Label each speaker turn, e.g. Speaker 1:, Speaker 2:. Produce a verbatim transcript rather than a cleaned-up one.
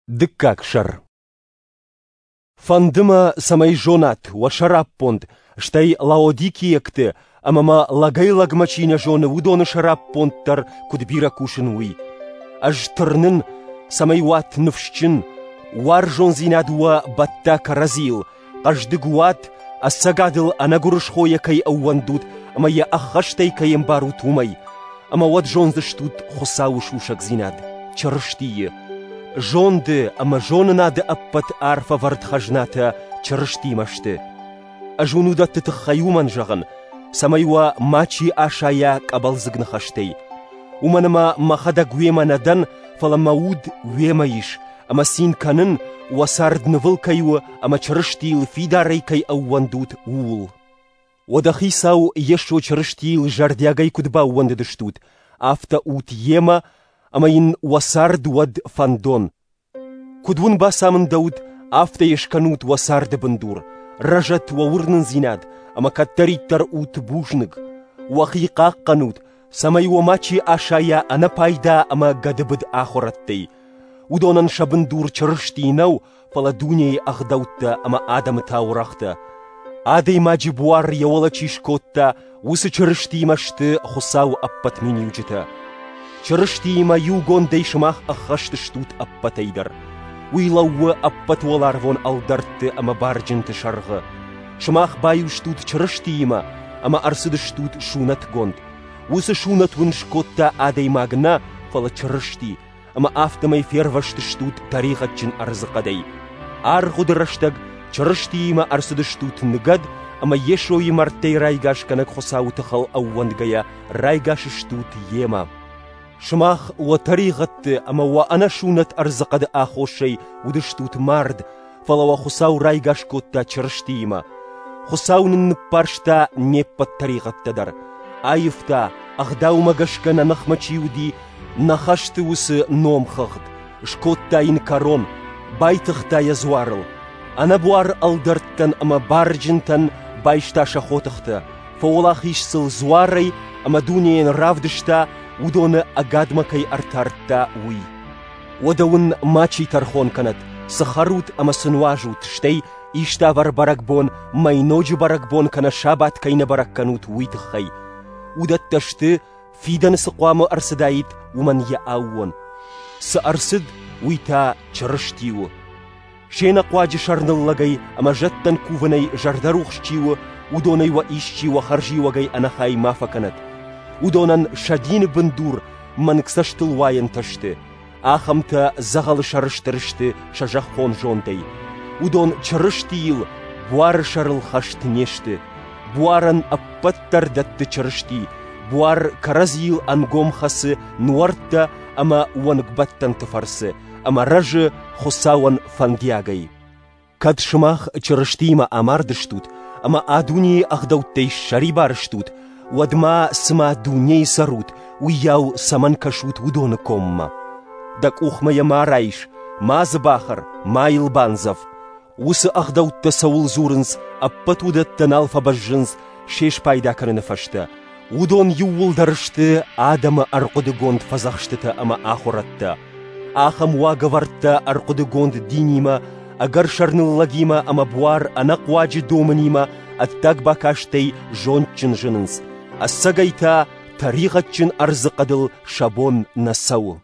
Speaker 1: Дыккаг сӕр. Фӕнды мӕ, цӕмӕй зонат уӕ сӕраппонд, стӕй лаодикийӕгты ӕмӕ мӕ лӕгӕй-лӕгмӕ чи нӕ зоны, уыдоны сӕраппонд дӕр куыд бирӕ кусын, уый. Ӕз тырнын, цӕмӕй уат ныфсджын, уарзондзинад уӕ бӕтта кӕрӕдзийыл, хъӕздыг уат, ӕцӕгадыл ӕнӕгуырысхойӕ кӕй ӕууӕндут ӕмӕ йӕ ӕххӕстӕй кӕй ӕмбарут, уымӕй. Ӕмӕ уӕд зондзыстут Хуыцауы сусӕгдзинад, Чырыстийы. Зонды ӕмӕ зонынады ӕппӕт арфӕвӕрд хӕзнатӕ Чырыстимӕ сты. Ӕз уын уыдӕтты тыххӕй уымӕн зӕгъын, цӕмӕй уӕ мачи асайа къӕбӕлдзыг ныхӕстӕй. Уымӕн ӕмӕ мӕхӕдӕг уемӕ нӕ дӕн, фӕлӕ мӕ уд уемӕ ис, ӕмӕ цин кӕнын, уӕ цард нывыл кӕй у ӕмӕ Чырыстийыл фидарӕй кӕй ӕууӕндут, ууыл. Уӕдӕ Хицау Йесо Чырыстийыл зӕрдиагӕй куыд баууӕндыдыстут, афтӕ ут йемӕ, ӕмӕ йын уӕ цард уӕд фӕндон. Куыд уын бацамындӕуыд, афтӕ йӕ скӕнут уӕ царды бындур, рӕзӕт уӕ уырнындзинад ӕмӕ кӕддӕриддӕр ут бузныг. Уӕхи хъахъхъӕнут, цӕмӕй уӕ мачи асайа ӕнӕпайда ӕмӕ гӕдыбыд ахуырӕдтӕй. Уыдонӕн сӕ бындур Чырысти нӕу, фӕлӕ дунейы ӕгъдӕуттӕ ӕмӕ адӕмы таурӕгътӕ. Адӕймаджы буар йӕ уӕлӕ чи скодта, уыцы Чырыстиимӕ сты Хуыцауы ӕппӕт миниуджытӕ. Чырыстиимӕ иугондӕй сымах ӕххӕст стут ӕппӕтӕй дӕр. Уый лӕууы ӕппӕт уӕларвон ӕлдӕртты ӕмӕ барджынты сӕргъы. Сымах баиу стут Чырыстиимӕ ӕмӕ ӕрцыдыстут сунӕтгонд. Уыцы сунӕт уын скодта адӕймаг нӕ, фӕлӕ Чырысти, ӕмӕ афтӕмӕй фервӕзтыстут тӕригъӕдджын ӕрдзыхъӕдӕй. Аргъуыды рӕстӕг Чырыстиимӕ ӕрцыдыстут ныгӕд ӕмӕ Йесойы мӕрдтӕй райгасгӕнӕг Хуыцауы тыхыл ӕууӕндгӕйӕ райгас стут Йемӕ. Сымах уӕ тӕригъӕдты ӕмӕ уӕ ӕнӕсунӕт ӕрдзыхъӕды аххосӕй уыдыстут мард, фӕлӕ уӕ Хуыцау райгас кодта Чырыстиимӕ. Хуыцау нын ныппӕрста не ппӕт тӕригъӕдтӕ дӕр. Аивта, ӕгъдаумӕ гӕсгӕ нӕ ныхмӕ чи уыди, нӕ хӕсты уыцы номхыгъд, скодта йын кӕрон, байтыгъта йӕ дзуарыл. Ӕнӕбуар ӕлдӕрттӕн ӕмӕ барджынтӕн байста сӕ хотыхтӕ, фӕуӕлахиз сыл дзуарӕй ӕмӕ дунейӕн равдыста, уыдоны ӕгадмӕ кӕй ӕртардта, уый. Уӕдӕ уын мачи тӕрхон кӕнӕд, цы хӕрут ӕмӕ цы нуазут, стӕй иставӕр бӕрӕгбон, мӕйноджы бӕрӕгбон кӕнӕ сабат кӕй нӕ бӕрӕг кӕнут, уый тыххӕй. Уыдӕттӕ сты, фидӕны цы хъуамӕ ӕрцыдаид, уымӕн йӕ аууон. Цы ӕрцыд, уый та Чырысти у. Се нӕхъуаджы сӕрныллӕгӕй ӕмӕ зӕдтӕн кувынӕй зӕрдӕрухс чи у, уыдонӕй уӕ исчи уӕ хӕрзиуӕгӕй ӕнӕхай ма фӕкӕнӕд. Уыдонӕн сӕ дины бындур мӕнгцӕстыл уайӕнтӕ сты. Ахӕмтӕ дзӕгъӕлы сӕрыстыр сты сӕ зӕххон зондӕй. Уыдон Чырыстийыл буары сӕрыл хӕст не сты. Буарӕн ӕппӕт дӕр дӕтты Чырысти, буар кӕрӕдзийыл ӕнгом хӕцы нуӕрттӕ ӕмӕ уӕнгбӕттӕнты фӕрцы, ӕмӕ рӕзы Хуыцауӕн фӕндиагӕй. Кӕд сымах Чырыстиимӕ амардыстут ӕмӕ а дунейы ӕгъдӕуттӕй ссӕрибар стут, уӕд ма цыма дунейы цӕрут, уыйау цӕмӕн кӕсут уыдоны коммӕ? Дӕ къухмӕ йӕ ма райс, ма дзы бахӕр, ма йыл бандзӕв. Уыцы ӕгъдӕуттӕ цӕуыл дзурынц, ӕппӕт уыдӕттӕ нал фӕбӕззынц се спайда кӕныны фӕстӕ. Уыдон иууылдӕр сты адӕмы ӕрхъуыдыгонд фӕдзӕхстытӕ ӕмӕ ахуырӕдтӕ. Ахӕм уагӕвӕрдтӕ ӕрхъуыдыгонд динимӕ, ӕгӕр сӕрныллӕгимӕ ӕмӕ буар ӕнӕхъуаджы домынимӕ ӕддаг бакастӕй зондджын зынынц, ӕцӕгӕй та тӕригъӕдджын ӕрдзыхъӕдыл сӕ бон нӕ цӕуы.